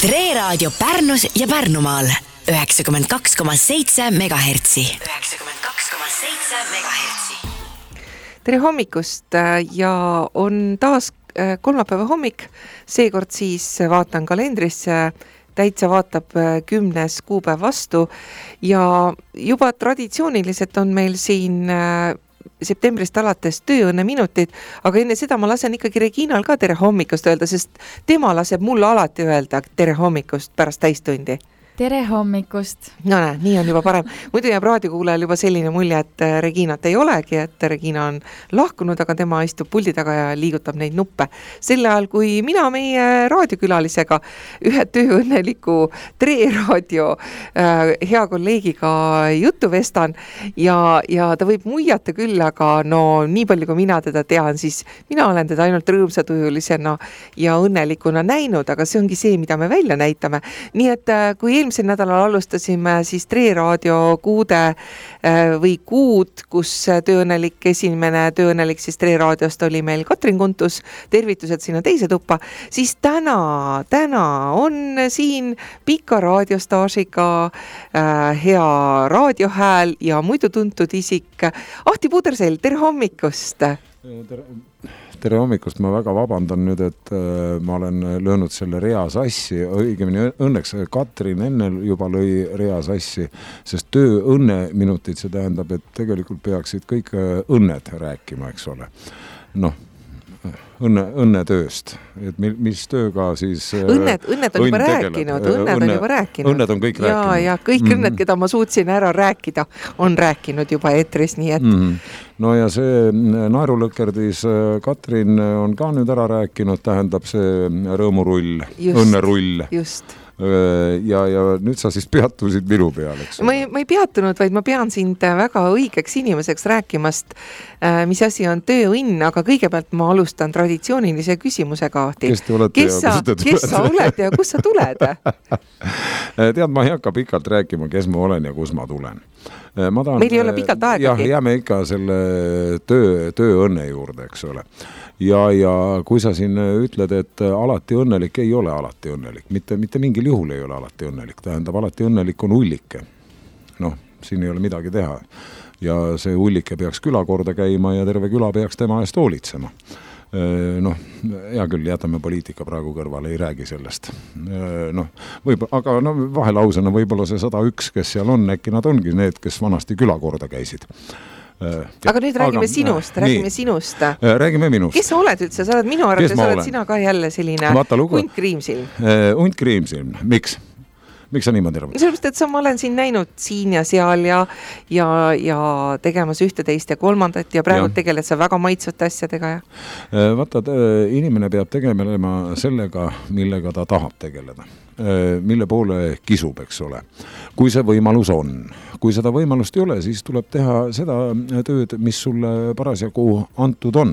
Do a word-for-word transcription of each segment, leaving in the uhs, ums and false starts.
Tre Raadio Pärnus ja Pärnumaal üheksakümmend kaks koma seitse megahertsi. üheksakümmend kaks koma seitse megahertsi. Tere hommikust ja on taas kolmapäeva hommik. Seekord siis vaatan kalendrisse, täitsa vaatab kümnes kuupäev vastu ja juba traditsiooniliselt on meil siin septembrist alates tööõnne minutid, aga enne seda ma lasen ikkagi Reginal ka tere hommikust öelda, sest tema laseb mulle alati öelda tere hommikust pärast täistundi. Tere hommikust. No näe, nii on juba parem. Muidu jääb raadiokuulajal juba selline mulje, et Reginat ei olegi, et Regina on lahkunud, aga tema istub puldi taga ja liigutab neid nuppe. Sel ajal, kui mina meie raadiokülalisega ühe tööõnneliku Tre Raadio äh, hea kolleegiga juttu vestan ja, ja ta võib muiata küll, aga no nii palju kui mina teda tean, siis mina olen teda ainult rõõmsatujulisena ja õnnelikuna näinud, aga see ongi see, mida me välja näitame. Nii et äh, kui eelmisel nädalal alustasime siis Tre Raadio kuude või kuud, kus tööõnnelik esimene tööõnnelik siis Tre Raadiost oli meil Katrin Kuntus, tervitused sinna teise tuppa, siis täna, täna on siin pika raadiostaažiga äh, hea raadiohääl ja muidu tuntud isik Ahti Pudersell, tere hommikust! Tere, tere hommikust, ma väga vabandan nüüd, et äh, ma olen löönud selle rea sassi, õigemini õnneks Katrin enne juba lõi rea sassi, sest tööõnne minutid, see tähendab, et tegelikult peaksid kõik õnned rääkima, eks ole. Noh, õnne, õnne tööst, et mis tööga siis õnned, õnned on juba rääkinud, õnned õnne, on juba rääkinud. Õnned on kõik ja, rääkinud. Ja kõik mm-hmm. õnned, keda ma suutsin ära rääkida, on rääkinud juba eetris, nii et mm-hmm. No ja see naerulõkerdis Katrin on ka nüüd ära rääkinud, tähendab see rõõmurull, just, õnnerull. Just. Ja, ja nüüd sa siis peatusid minu peal, eks? Ma ei, ma ei peatunud, vaid ma pean sind väga õigeks inimeseks rääkimast, mis asi on tööõnn, aga kõigepealt ma alustan traditsioonilise küsimusega, Ahti. Kes te olete kes ja kus te tulete? Kes sa oled ja kus sa tuled? Tead, ma ei hakka pikalt rääkima, kes ma olen ja kus ma tulen. Ma tahan, meil ei ole pikalt aegagi. Jah, jääme ikka selle töö, tööõnne juurde, eks ole. Ja, ja kui sa siin ütled, et alati õnnelik, ei ole alati õnnelik. Mitte, mitte mingil juhul ei ole alati õnnelik. Tähendab, alati õnnelik on ullike. Noh, siin ei ole midagi teha. Ja see ullike peaks küla korda käima ja terve küla peaks tema eest hoolitsema. Noh, hea küll, jätame poliitika praegu kõrvale, ei räägi sellest. Noh, võib, aga no, vahelausena võib-olla see sada üks, kes seal on, äkki nad ongi need, kes vanasti küla korda käisid. Aga nüüd räägime aga, sinust, räägime nii. sinust. Räägime minust. Kes sa oled üldse? Sa oled minu arvates, sa oled sina ka jälle selline hunt kriimsilm. Hunt kriimsilm, miks? Miks sa niimoodi arvad? Sellepärast, et sa, ma olen siin näinud siin ja seal ja, ja, ja tegemas ühte teist ja kolmandat ja praegu ja. Tegeled sa väga maitsvate asjadega. Ja? Vaata, inimene peab tegelema sellega, millega ta tahab tegeleda. Mille poole kisub, eks ole. Kui see võimalus on. Kui seda võimalust ei ole, siis tuleb teha seda tööd, mis sulle parasjagu antud on.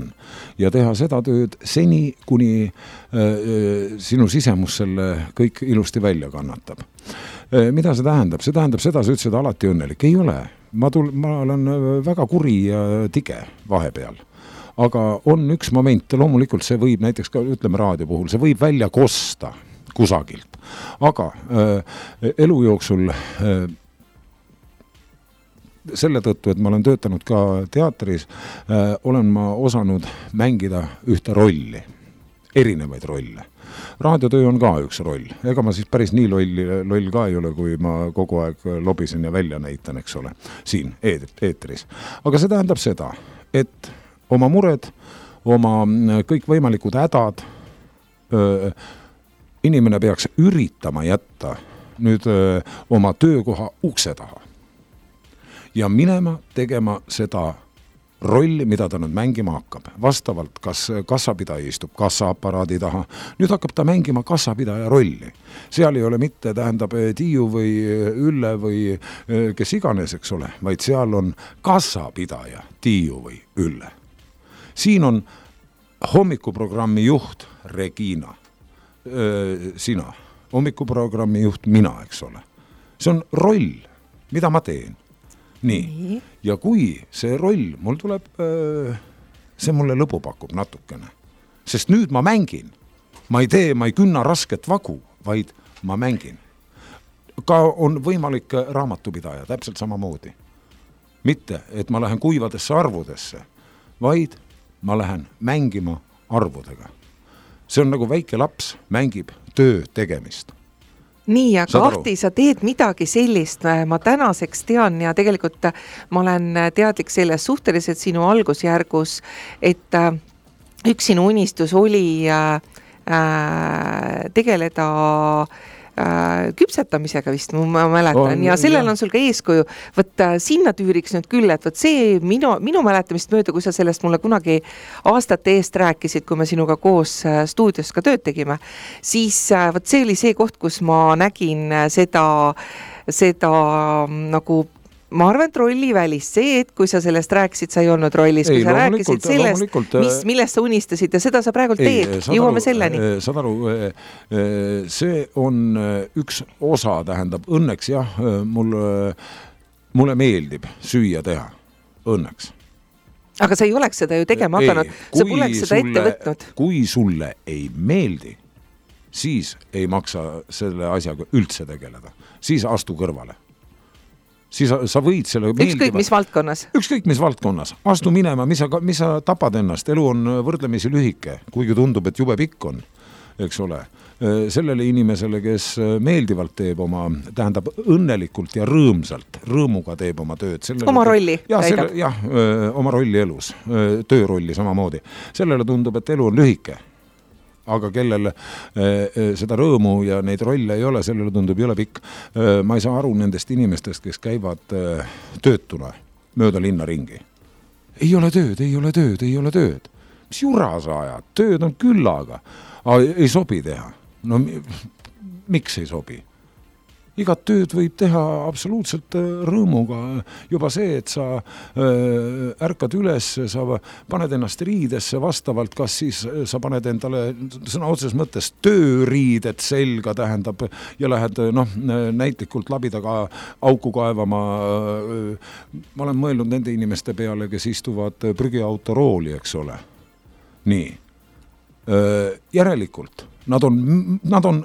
Ja teha seda tööd seni, kuni äh, sinu sisemus selle kõik ilusti välja kannatab. Äh, mida see tähendab? See tähendab seda, sa ütlesid alati õnnelik. Ei ole. Ma, tul, ma olen väga kuri ja tige vahepeal. Aga on üks moment, loomulikult see võib näiteks ka, ütleme raadio puhul, see võib välja kosta kusagilt. Aga äh, elu jooksul äh, selle tõttu, et ma olen töötanud ka teatris, äh, olen ma osanud mängida ühte rolli, erinevaid rolle. Raadiotöö on ka üks roll. Ega ma siis päris nii loll, loll ka ei ole, kui ma kogu aeg lobisen ja välja näitan, eks ole, siin eetris. Aga see tähendab seda, et oma mured, oma kõik võimalikud hädad, öö, inimene peaks üritama jätta nüüd öö, oma töökoha ukse taha ja minema tegema seda rolli, mida ta nüüd mängima hakkab. Vastavalt, kas kassapidaja istub kassaaparaadi taha, nüüd hakkab ta mängima kassapidaja rolli. Seal ei ole mitte, tähendab, Tiiu või Ülle või kes iganes, eks ole, vaid seal on kassapidaja, Tiiu või Ülle. Siin on hommikuprogrammi juht Regina. Sina, hommikuprogrammi juht mina, eks ole. See on roll, mida ma teen. Nii, Nii. Ja kui see roll, mul tuleb, see mulle lõbu pakub natukene. Sest nüüd ma mängin. Ma ei tee, ma ei künna rasket vagu, vaid ma mängin. Ka on võimalik raamatupidaja, täpselt samamoodi. Mitte, et ma lähen kuivadesse arvudesse, vaid ma lähen mängima arvudega. See on nagu väike laps mängib töö tegemist. Nii, aga Ahti, sa teed midagi sellist, ma tänaseks tean ja tegelikult ma olen teadlik selles suhteliselt sinu algusjärgus, et üks sinu unistus oli äh, tegeleda äh, küpsetamisega vist, ma mäletan, on, ja sellel jah. On sul ka eeskuju. Võt sinna tüüriks nüüd küll, et võt see minu, minu mäletamist mööda, kui sa sellest mulle kunagi aastate eest rääkisid, kui me sinuga koos stuudios ka tööd tegime, siis võt see oli see koht, kus ma nägin seda, seda nagu ma arvan, et rolli välist. See, et kui sa sellest rääkisid, sa ei olnud rollis, kui ei, sa rääkisid sellest, mis, millest sa unistasid ja seda sa praegult ei, teed. Jõuame selleni. Saad aru, see on üks osa, tähendab, õnneks jah, mulle, mulle meeldib süüa teha. Õnneks. Aga sa ei oleks seda ju tegema ei, hakanud, sa poleks seda sulle, ette võtnud. Kui sulle ei meeldi, siis ei maksa selle asjaga üldse tegeleda. Siis astu kõrvale. Siis sa võid selle meeldiva... Ükskõik mis valdkonnas. Ükskõik mis valdkonnas. Astu minema, mis sa, mis sa tapad ennast. Elu on võrdlemisi lühike, kuigi tundub, et jube pikk on, eks ole. Sellele inimesele, kes meeldivalt teeb oma, tähendab õnnelikult ja rõõmsalt, rõõmuga teeb oma tööd. Sellele, oma rolli ja, selle, jah, oma rolli elus, töörolli samamoodi. Sellele tundub, et elu on lühike. Aga kellel eh, seda rõõmu ja neid rolle ei ole, sellele tundub jõle pikk. Eh, ma ei saa aru nendest inimestest, kes käivad eh, töötuna mööda linna ringi. Ei ole tööd, ei ole tööd, ei ole tööd. Mis jura sa ajad? Tööd on küllaga. Aga ei sobi teha. No miks ei sobi? Igat tööd võib teha absoluutselt rõõmuga. Juba see, et sa äh, ärkad üles, sa paned ennast riidesse vastavalt, kas siis sa paned endale sõna otses mõttes tööriidet selga, tähendab, ja lähed noh, näitlikult labidaga auku kaevama. Ma olen mõelnud nende inimeste peale, kes istuvad prügiauto rooli, eks ole. Nii. Järelikult, nad on, nad on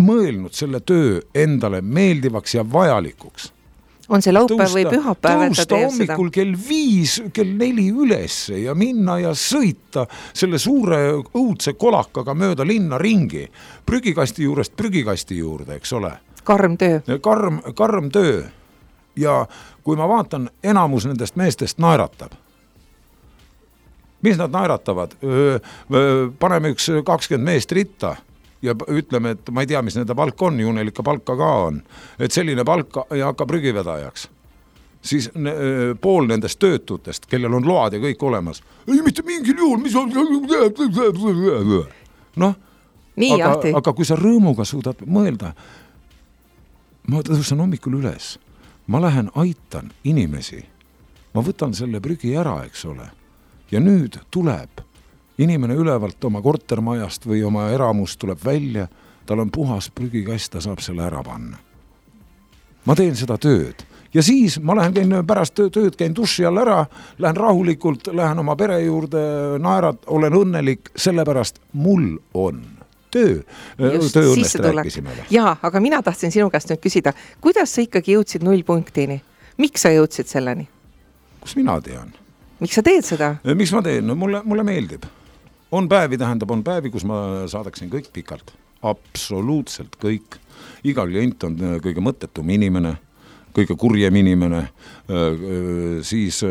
mõelnud selle töö endale meeldivaks ja vajalikuks. On see laupäev või pühapäev? Tõusta hommikul kell viis, kell neli ülesse ja minna ja sõita selle suure õudse kolakaga mööda linna ringi. Prügikasti juurest prügikasti juurde, eks ole. Karm töö. Karm, karm töö. Ja kui ma vaatan, enamus nendest meestest naeratab. Mis nad naeratavad? Paneme üks kakskümmend meest ritta ja ütleme, et ma ei tea, mis nende palk on, ju neil ikka palka ka on, et selline palk ei hakka prügivedajaks. Siis ne, pool nendest töötutest, kellel on load ja kõik olemas, ei mitte mingil juhul, mis on... Noh, nii, aga, aga kui sa rõõmuga suudad mõelda, ma tõusen hommikul üles, ma lähen aitan inimesi, ma võtan selle prügi ära, eks ole, ja nüüd tuleb inimene ülevalt oma kortermajast või oma eramust tuleb välja, tal on puhas prügikast, ta saab selle ära panna. Ma teen seda tööd. Ja siis ma lähen käin pärast tööd, käin duši all ära, lähen rahulikult, lähen oma pere juurde, naerad, olen õnnelik, sellepärast mul on töö. Just, tööõnnest rääkisime. Jaa, aga mina tahtsin sinu käest nüüd küsida, kuidas sa ikkagi jõudsid nullpunktini? Miks sa jõudsid selleni? Kus mina tean? Miks sa teed seda? Miks ma teen? No, mulle, mulle meeldib. On päevi, tähendab, on päevi, kus ma saadaksin kõik pikalt. Absoluutselt kõik. Iga klient on kõige mõttetum inimene, kõige kurjem inimene, siis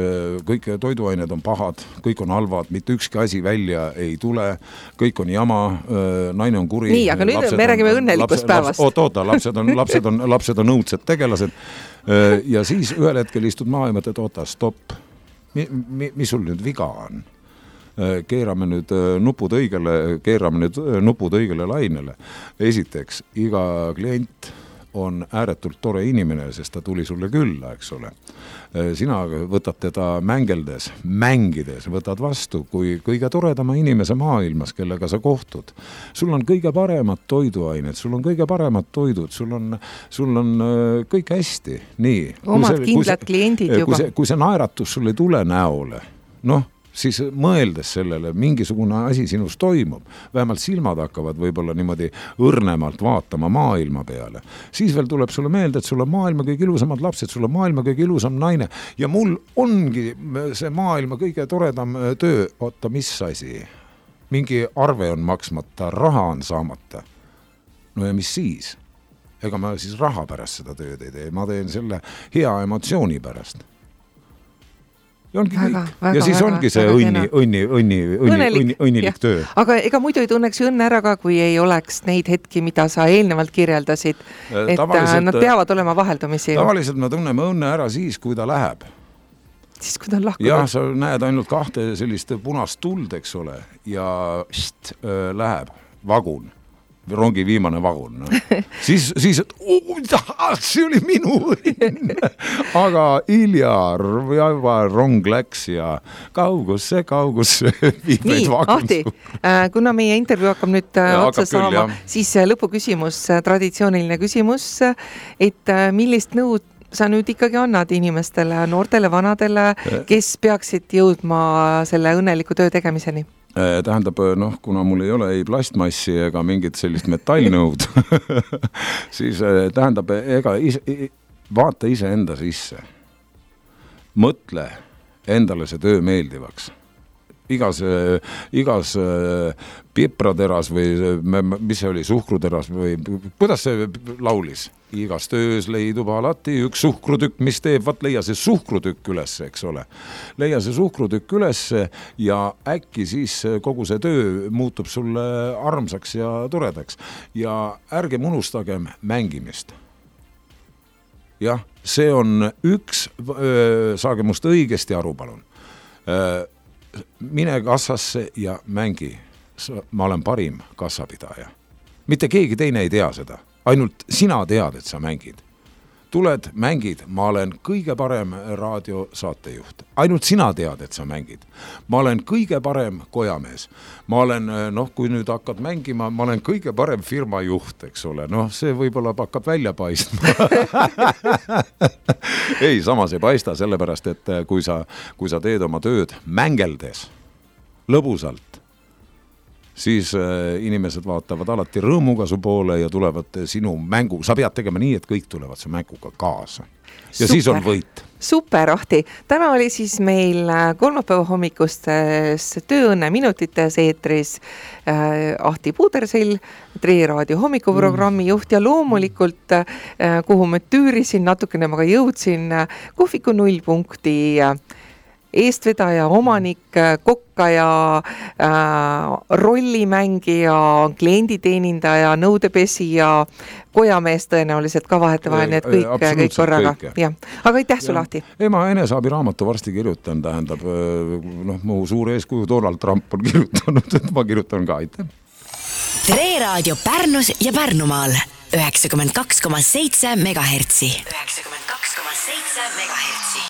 kõik toiduained on pahad, kõik on halvad, mitte ükski asi välja ei tule, kõik on jama, naine on kuri. Nii, aga nüüd me räägime õnnelikust päevast. Oota, oota, lapsed on, lapsed on, lapsed on õudsed tegelased. Ja siis ühel hetkel istud maha ja mõtled, oota, stopp. Mi, mi, mis sul nüüd viga on? Keerame nüüd nupud õigele, keerame nüüd nupud õigele lainele. Esiteks, iga klient on ääretult tore inimene, sest ta tuli sulle külla, eks ole. Sina võtad teda mängeldes, mängides, võtad vastu kui kõige toredama inimese maailmas, kellega sa kohtud. Sul on kõige paremad toiduained, sul on kõige paremad toidud, sul on, sul on kõik hästi. Nii. Omad kindlad kliendid juba. Kui see, kui see naeratus sul ei tule näole, noh, siis mõeldes sellele, mingisugune asi sinus toimub, vähemalt silmad hakkavad võib-olla niimoodi õrnemalt vaatama maailma peale, siis veel tuleb sulle meelde, et sul on maailma kõige ilusamad lapsed, sul on maailma kõige ilusam naine ja mul ongi see maailma kõige toredam töö, oota, mis asi? Mingi arve on maksmata, raha on saamata. No ja mis siis? Ega ma siis raha pärast seda tööd ei tee, ma teen selle hea emotsiooni pärast. Ja ongi väga, kõik. Väga, ja siis väga, ongi see väga õnni, õnni, õnni, õnni, õnni, õnnilik ja. töö. Aga ega muidu ei tunneks õnne ära ka, kui ei oleks neid hetki, mida sa eelnevalt kirjeldasid, et tavaliselt, nad peavad olema vaheldumisi. Tavaliselt me tunneme õnne ära siis, kui ta läheb. Siis kui ta on lahkunud. Jah, sa näed ainult kahte sellist punast tuld, eks ole, ja št, öö, läheb vagun, rongi viimane vagun. No. siis, siis et, oh, see oli minu õnn. Aga hilja rong läks ja kaugusse, kaugusse viib nii, Ahti, kuna meie intervjuu hakkab nüüd ja, otsa hakkab saama, küll, siis lõpuküsimus, traditsiooniline küsimus, et millist nõud sa nüüd ikkagi annad inimestele, noortele, vanadele, kes peaksid jõudma selle õnneliku töö tegemiseni? Tähendab, noh, kuna mul ei ole ei plastmassi ega mingit sellist metallnõud, siis tähendab, ega ise, vaata ise enda sisse. Mõtle endale see töö meeldivaks. Igas, igas piprateras või mis see oli, suhkruteras või kuidas see laulis? Igas töös leidub alati üks suhkrutükk, mis teeb, vaat leia see suhkrutükk üles, eks ole. Leia see suhkrutükk üles ja äkki siis kogu see töö muutub sulle armsaks ja toredaks. Ja ärgem unustagem mängimist. Jah, see on üks, saage must õigesti aru, palun. Mine kassasse ja mängi. Ma olen parim kassapidaja. Mitte keegi teine ei tea seda. Ainult sina tead, et sa mängid. Tuled, mängid, ma olen kõige parem raadiosaatejuht. Ainult sina tead, et sa mängid. Ma olen kõige parem kojamees. Ma olen, noh, kui nüüd hakkad mängima, ma olen kõige parem firma juht, eks ole. Noh, see võib-olla hakkab välja paistma. ei, samas ei paista, sellepärast, et kui sa, kui sa teed oma tööd mängeldes, lõbusalt, siis inimesed vaatavad alati rõõmuga su poole ja tulevad sinu mängu. Sa pead tegema nii, et kõik tulevad su mänguga kaasa. Ja super. Siis on võit. Super, Ahti. Täna oli siis meil kolmapäeva hommikustes tööõnne minutites eetris äh, Ahti Puudersill, Tre Raadio hommikuprogrammi juht ja loomulikult, äh, kuhu ma tüürisin, natukene ma ka jõudsin, kohviku nullpunkti äh, eestvedaja, omanik, kokkaja, äh, rollimängija, klienditeenindaja, nõudepesija, kojamees tõenäoliselt ka vahetevahel, need kõik, kõik korraga. Ja. Aga aitäh sul, Ahti. Ei, ma enesaabi raamatu varsti kirjutan, tähendab, noh, mu suur eeskuju Donald Trump on kirjutanud, et ma kirjutan ka, aitäh. Tre Raadio Pärnus ja Pärnumaal üheksakümmend kaks koma seitse megahertsi. üheksakümmend kaks koma seitse megahertsi.